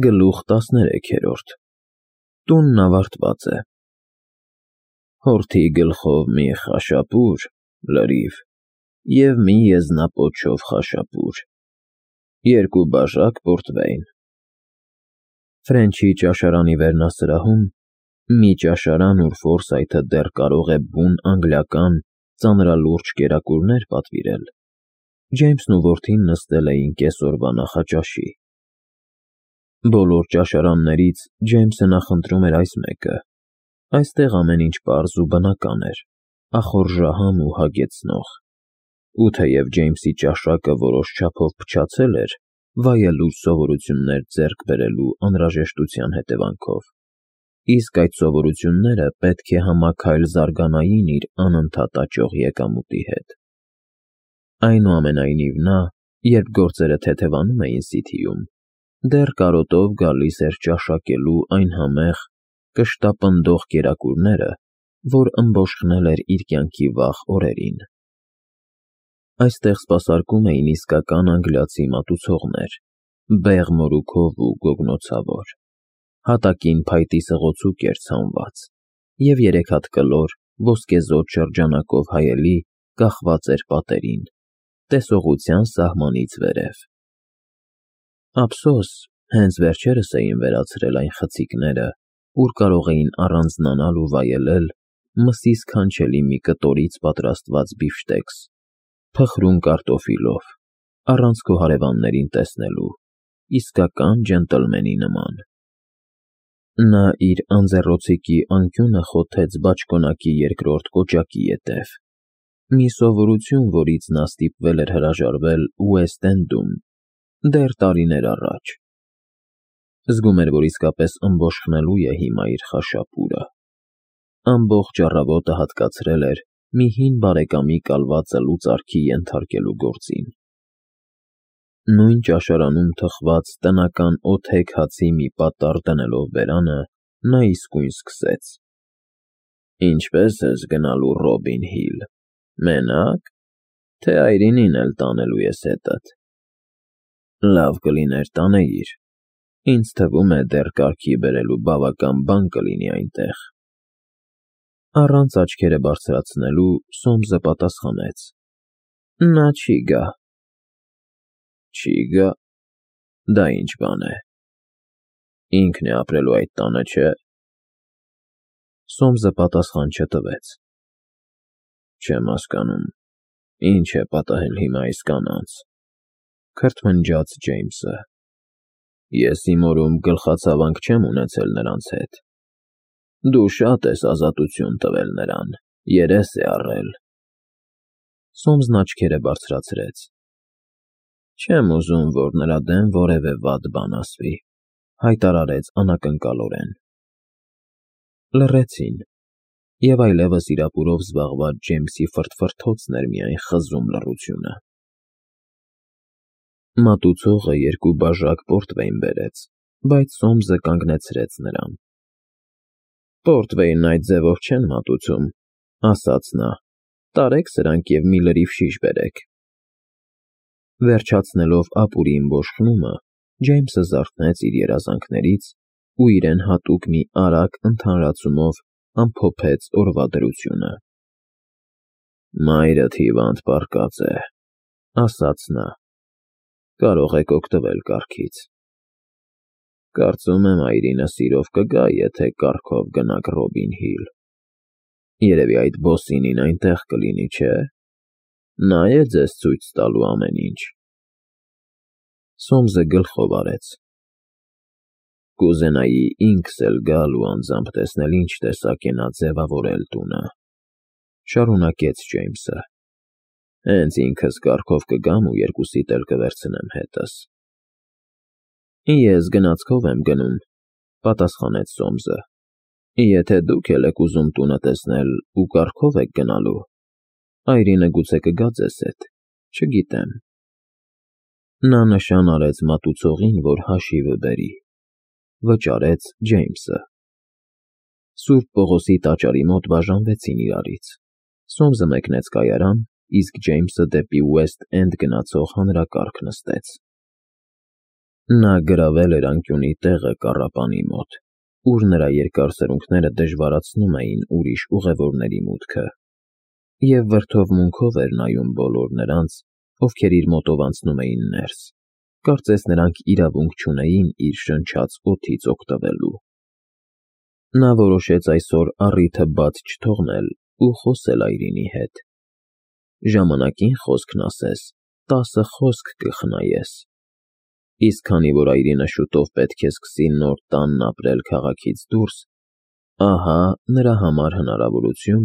Գլուխ 13 Տունն ավարտված է։ Հորթի գլխով մի խաշապուր, լրիվ, և մի եզնապոչով խաշապուր, 2 բաժակ պորտվեյն։ Ֆրենչի ճաշարանի վերնասրահում, մի ճաշարան, ուր Ֆորսայթը դեռ կարող է բուն անգլիական ծանրալուրջ կերակուրներ պատվիրել, Ջեյմսն ու որդին նստել էին կեսօրվա նախաճաշի։ Բոլոր ճաշարաններից Ջեյմսը նախընտրում էր այս մեկը, այստեղ ամեն ինչ պարզ ու բնական էր, ախորժահամ ու հագեցնող, ու թեև Ջեյմսի ճաշակը որոշ չափով փչացել էր վայելուչ սովորություններ ձեռք բերելու անհրաժեշտության հետևանքով, իսկ այդ սովորությունները պետք է համաքայլ զարգանային իր անընդհատ աճող եկամուտի հետ։ Այնուամենայնիվ նա, երբ գործերը թեթևանում էին Սիթիում, դեռ կարոտով գալիս էր ճաշակելու այն համեղ, կշտապնդող կերակուրները, որ ըմբոշխնել էր իր կյանքի վաղ օրերին։ Այստեղ սպասարկում էին իսկական անգլիացի մատուցողներ, բեղ մորուքով ու գոգնոցավոր, հատակին փայտի սղոցուկ էր ցանված, և 3 հատ կլոր, ոսկեզօծ շրջանակով հայելի կախված էր պատերին, տեսողության սահմանից վերև։ Ափսոս, հենց վերջերս էին վերացրել այն խցիկները, ուր կարող էին առանձնանալ ու վայելել մսի սքանչելի մի կտորից պատրաստված բիֆշտեքս, փխրուն կարտոֆիլով, առանց քո հարևաններին տեսնելու, իսկական ջենտլմենի նման։ Նա իր անձեռոցիկի անկյունը խոթեց բաճկոնակի 2-րդ կոճակի ետև, մի սովորություն, որից նա ստիպվել էր հրաժարվել Ուեսթ Էնդում, դեռ տարիներ առաջ։ Զգում էր, որ իսկապես ըմբոշխնելու է հիմա իր խաշապուրը։ Ամբողջ առավոտը հատկացրել էր մի հին բարեկամի կալվածը լուծարքի ենթարկելու գործին։ Նույն ճաշարանում թխված տնական օթեք հացի մի պատառ դնելով բերանը, նա իսկույն սկսեց. Ինչպե՞ս ես գնալու Ռոբին Հիլ, մենա՞կ, թե այրինին էլ տանելու ես հետդ։ Լավ կլիներ տանեիր, ինձ թվում է դեռ կարգի բերելու բավական բան կլինի այնտեղ։ Առանց աչքերը բարձրացնելու Սոմսը պատասխանեց. Նա չի գա։ Չի գա, դա ինչ բան է։ Ինքն է ապրելու այդ տանը, չէ՞։ Սոմսը պատասխան չտվեց։ Չեմ հասկանում, ինչ է պատահել հիմա այս կանանց, քրթմնջաց Ջեյմսը։ Ես իմ օրում գլխացավանք չեմ ունեցել նրանց հետ։ Դու շատ ես ազատություն տվել նրան, երես է առել։ Սոմսն աչքերը բարձրացրեց։ Չեմ ուզում, որ նրա դեմ որևէ վատ բան ասվի, հայտարարեց անակնկալորեն։ Լռեցին, և այլևս իրապուրով զբաղված Ջեյմսի ֆրթֆրթոցն էր միայն խզում լռությունը։ Մատուցողը 2 բաժակ պորտվեյն բերեց, բայց Սոմսը կանգնեցրեց նրան։ Պորտվեյնն այդ ձևով չեն մատուցում, ասաց նա, տարեք սրանք և մի լրիվ շիշ բերեք։ Վերջացնելով ապուրի ըմբոշխնումը, Ջեյմսը զարթնեց իր երազանքներից ու իրեն հատուկ մի արագ ընդհանրացումով ամփոփեց օրվա դրությունը։ Մայրդ հիվանդ պառկած է, ասաց նա, կարող եք օգտվել կառքից։ Կարծում եմ այրինը սիրով կգա, եթե կառքով գնաք Ռոբին Հիլ։ Երևի այդ բոսինին այնտեղ կլինի, չէ՞։ Նա է ձեզ ցույց տալու ամեն ինչ։ Սոմսը գլխով արեց։ Կուզենայի ինքս էլ գալ ու անձամբ տեսնել ինչ տեսակ է նա ձևավորել տունը, շարունակեց Ջեյմսը։ Հենց ինքս կառքով կգամ ու 2-սիդ էլ կվերցնեմ հետս։ Ես գնացքով եմ գնում, պատասխանեց Սոմսը։ Եթե դուք էլ եք ուզում տունը տեսնել ու կառքով եք գնալու, այրինը գուցե կգա ձեզ հետ, չգիտեմ։ Նա նշան արեց մատուցողին, որ հաշիվը բերի։ Վճարեց Ջեյմսը։ Սուրբ Պողոսի տաճարի մոտ բաժանվեցին իրարից։ Սոմսը մեկնեց կայարան, իսկ Ջեյմսը դեպի Ուեսթ Էնդ գնացող հանրակառք նստեց։ Նա գրավել էր անկյունի տեղը կառապանի մոտ, ուր նրա երկար սրունքները դժվարացնում էին ուրիշ ուղևորների մուտքը, և վրդովմունքով էր նայում բոլոր նրանց, ովքեր իր մոտով անցնում էին ներս, կարծես նրանք իրավունք չունեին իր շնչած օդից օգտվելու։ Նա որոշեց այսօր առիթը բաց չթողնել ու խոսել Այրինի հետ։ Ժամանակին խոսքն ասես, 10 խոսք կխնայես։ Իսկ քանի որ Այրինը շուտով պետք է սկսի նոր տանն ապրել քաղաքից դուրս, ահա նրա համար հնարավորություն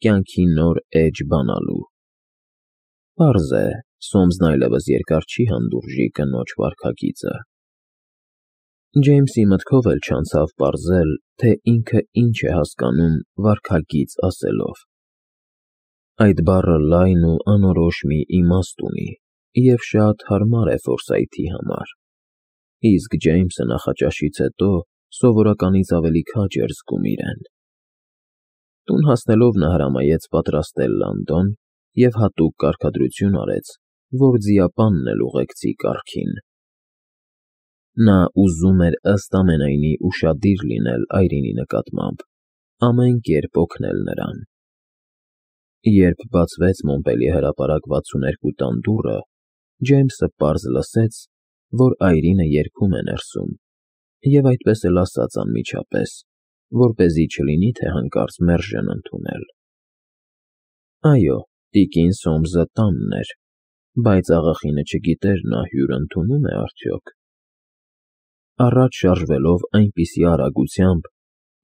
կյանքի նոր էջ բանալու։ Պարզ է, Սոմսն այլևս երկար չի հանդուրժի կնոջ վարքագիծը։ Ջեյմսի մտքով էլ չանցավ պարզել, թե ինքը ինչ է հասկանում վարքագիծ ասելով։ Այդ բառը լայն ու անորոշ մի իմաստ ունի և շատ հարմար է Ֆորսայթի համար, իսկ Ջեյմսը նախաճաշից հետո սովորականից ավելի քաջ էր զգում իրեն։ Տուն հասնելով նա հրամայեց պատրաստել լանդոն և հատուկ կարգադրություն արեց, որ ձիապանն էլ ուղեկցի կառքին։ Նա ուզում էր ըստ ամենայնի ուշադիր լինել Այրինի նկատմամբ, ամեն կերպ օգնել նրան։ Երբ բացվեց Մոնպելիե հրապարակ 62 տան դուռը, Ջեյմսը պարզ լսեց, որ Այրինը երգում է ներսում, և այդպես էլ ասաց անմիջապես, որպեսզի չլինի, թե հանկարծ մերժեն ընդունել։ Այո, տիկին Սոմսը տանն էր, բայց աղախինը չգիտեր նա հյուր ընդունո՞ւմ է արդյոք։ Առաջ շարժվելով այնպիսի արագությամբ,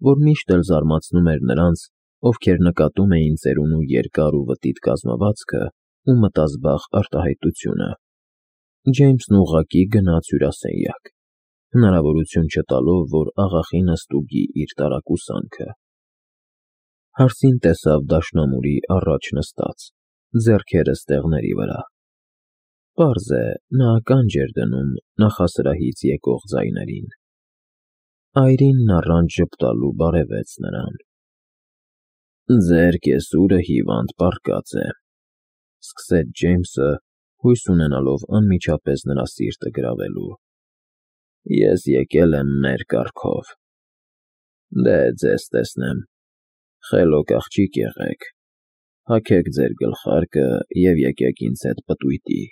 որ միշտ էլ զարմացնում էր նրանց, ովքեր նկատում էին ծերունու երկար ու վտիտ կազմվածքը ու մտազբաղ արտահայտությունը, Ջեյմսն ուղղակի գնաց հյուրասենյակ, հնարավորություն չտալով, որ աղախինը ստուգի իր տարակուսանքը։ Հարսին տեսավ դաշնամուրի առաջ նստած, ձեռքերը ստեղների վրա։ Պարզ է, նա ականջ էր դնում նախասրահից եկող ձայներին։ Այրինն առանց ժպտալու բարևեց նրան։ Ձեր կեսուրը հիվանդ պառկած է, սկսեց Ջեյմսը, հույս ունենալով անմիջապես նրա սիրտը գրավելու։ Ես եկել եմ մեր կառքով։ Դե ձեզ տեսնեմ, խելոք աղջիկ եղեք, հագեք ձեր գլխարկը և եկեք ինձ հետ պտույտի,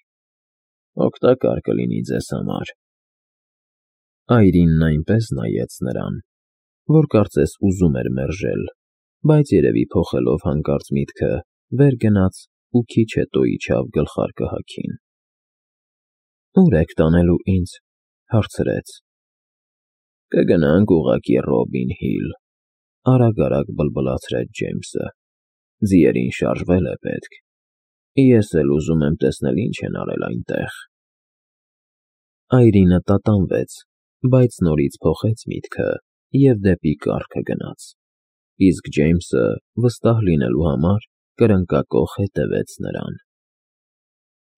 օգտակար կլինի ձեզ համար։ Այրինն այնպես նայեց նրան, որ կարծես ուզում էր մերժել, բայց երևի փոխելով հանկարծ միտքը, վեր գնաց ու քիչ հետո իջավ գլխարկը հագին։ Ո՞ւր եք տանելու ինձ, հարցրեց։ Կգնանք ուղղակի Ռոբին Հիլ, արագ բլբլացրեց Ջեյմսը։ Ձիերին շարժվել է պետք։ Ես էլ ուզում եմ տեսնել ինչ են արել այնտեղ։ Այրինը տատանվեց, բայց նորից փոխեց միտքը և դեպի կառքը գնաց, իսկ Ջեյմսը, վստահ լինելու համար, կրնկակոխ հետևեց նրան։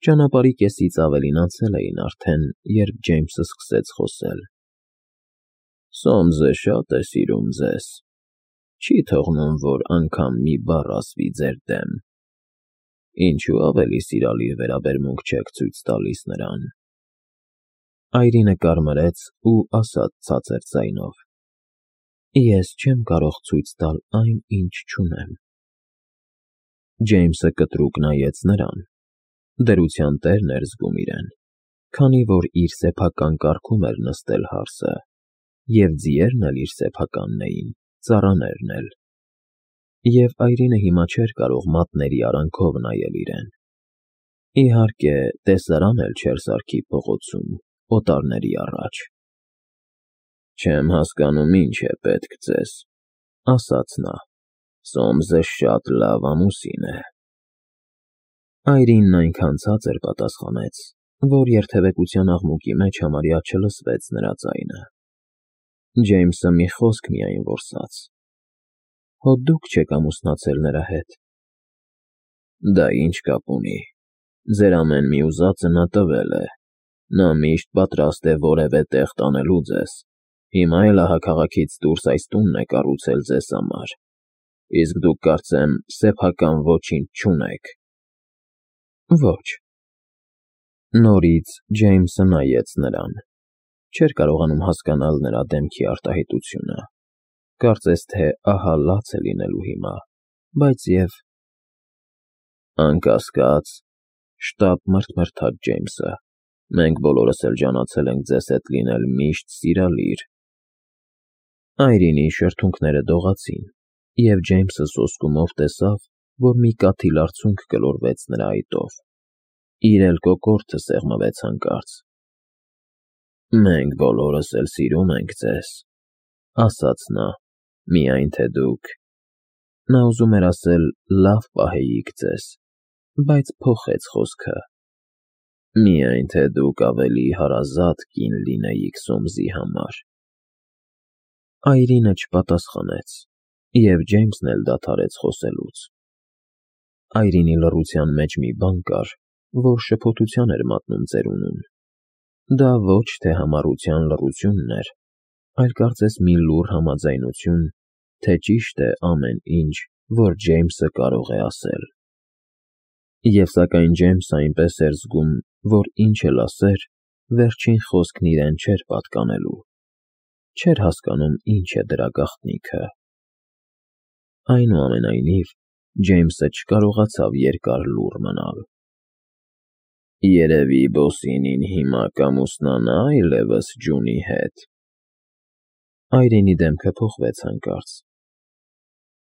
Ճանապարհի կեսից ավելին անցել էին արդեն, երբ Ջեյմսը սկսեց խոսել։ Սոմսը շատ է սիրում ձեզ, չի թողնում, որ անգամ մի բառ ասվի ձեր դեմ։ Ինչու ավելի սիրալիր վերաբերմունք չեք ցույց տալիս նրան։ Այրինը կարմրեց ու ասաց ցածր ձայնով. Ես չեմ կարող ցույց տալ այն, ինչ չունեմ։ Ջեյմսը կտրուկ նայեց նրան։ Դրության տերն էր զգում իրեն, քանի որ իր սեփական կառքում էր նստել հարսը, և ձիերն էլ իր սեփականն էին, ծառաներն էլ։ Եվ Այրինը հիմա չէր կարող մատների արանքով նայել իրեն։ Իհարկե, տեսարան էլ չէր սարքի փողոցում, օտարների առաջ։ Չեմ հասկանում ինչ է պետք ձեզ, ասաց նա։ Սոմսը շատ լավ ամուսին է։ Այրինն այնքան ցածր պատասխանեց, որ երթևեկության աղմուկի մեջ համարյա չլսվեց նրա ձայնը։ Ջեյմսը մի խոսք միայն որսաց. Հո դուք չեք ամուսնացել նրա հետ։ Դա ինչ կապ ունի։ Ձեր ամեն մի ուզածը նա տվել է։ Նա միշտ պատրաստ է որևէ տեղ տանելու ձեզ։ Հիմա էլ ահա քաղաքից դուրս այս տունն է կառուցել ձեզ համար։ Իսկ դուք կարծեմ սեփական ոչինչ չունեք։ Ոչ։ Նորից Ջեյմսը նայեց նրան։ Չէր կարողանում հասկանալ նրա դեմքի արտահայտությունը, կարծես թե ահա լաց է լինելու հիմա, բայց և… Անկասկած, շտապ մրթմրթաց Ջեյմսը, մենք բոլորս էլ ջանացել ենք ձեզ հետ լինել միշտ սիրալիր… Այրինի շրթունքները դողացին, և Ջեյմսը սոսկումով տեսավ, որ մի կաթիլ արցունք գլորվեց նրա այտով, իր էլ կոկորդը սեղմվեց հանկարծ։ Մենք բոլորս էլ սիրում ենք ձեզ, ասաց նա, միայն թե դուք… Նա ուզում էր ասել լավ պահեիք ձեզ, բայց փոխեց խոսքը. միայն թե դուք ավելի հարազատ կին լինեիք Սոմսի համար… Այրինը չպատասխանեց, և Ջեյմսն էլ դադարեց խոսելուց։ Այրինի լռության մեջ մի բան կար, որ շփոթության էր մատնում ծերունուն։ Դա ոչ թե համառության լռությունն էր, այլ կարծես մի լուռ համաձայնություն, թե ճիշտ է ամեն ինչ, որ Ջեյմսը կարող է ասել։ Եվ սակայն Ջեյմսը այնպես էր զգում, որ ինչ էլ ասեր, վերջին խոսքն իրեն չէր պատկանելու, չէր հասկանում ինչ է դրա գաղտնիքը։ Այնուամենայնիվ, Ջեյմսը չկարողացավ երկար լուռ մնալ։ Երևի Բոսինին հիմա կամուսնանա այլևս Ջունի հետ… Այրինի դեմքը փոխվեց հանկարծ։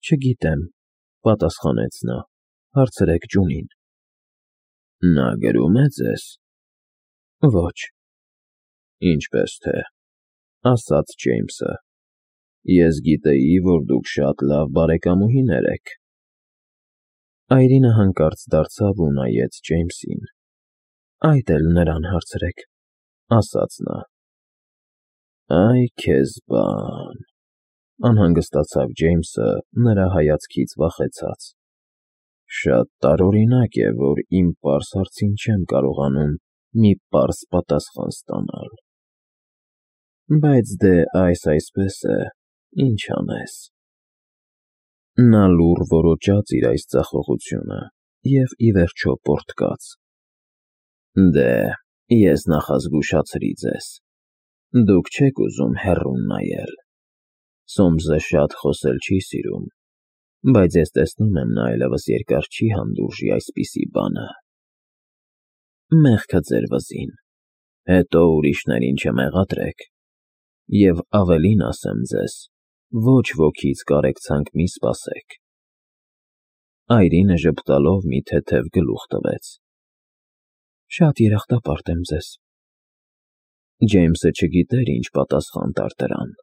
Չգիտեմ, պատասխանեց նա, հարցրեք Ջունին։ Նա գրում է ձեզ… Ոչ… Ինչպես թե, ասաց Ջեյմսը, ես գիտեի, որ դուք շատ լավ բարեկամուհիներ եք… Այրինը հանկարծ դարձավ ու նայեց Ջեյմսին։ Այդ էլ նրան հարցրեք, ասաց նա։ Այ քեզ բան… Անհանգստացավ Ջեյմսը նրա հայացքից վախեցած։ Շատ տարօրինակ է, որ իմ պարզ հարցին չեմ կարողանում մի պարզ պատասխան ստանալ… Բայց դե այսպես է, ինչ անես… Նա լուռ որոճաց իր այս ձախողությունը և ի վերջո պոռթկաց. Դե, ես նախազգուշացրի ձեզ… Դուք չեք ուզում հեռուն նայել… Սոմսը շատ խոսել չի սիրում, բայց ես տեսնում եմ, նա այլևս երկար չի հանդուրժի այսպիսի բանը… Մեղքը ձեր վզին, հետո ուրիշներին չմեղադրեք… Եվ ավելին ասեմ ձեզ, ոչ ոքից կարեկցանք մի սպասեք… Այրինը ժպտալով մի թեթև գլուխ տվեց։ Շատ երախտապարտ եմ ձեզ… Ջեյմսը չգիտեր ինչ պատասխան տար դրան։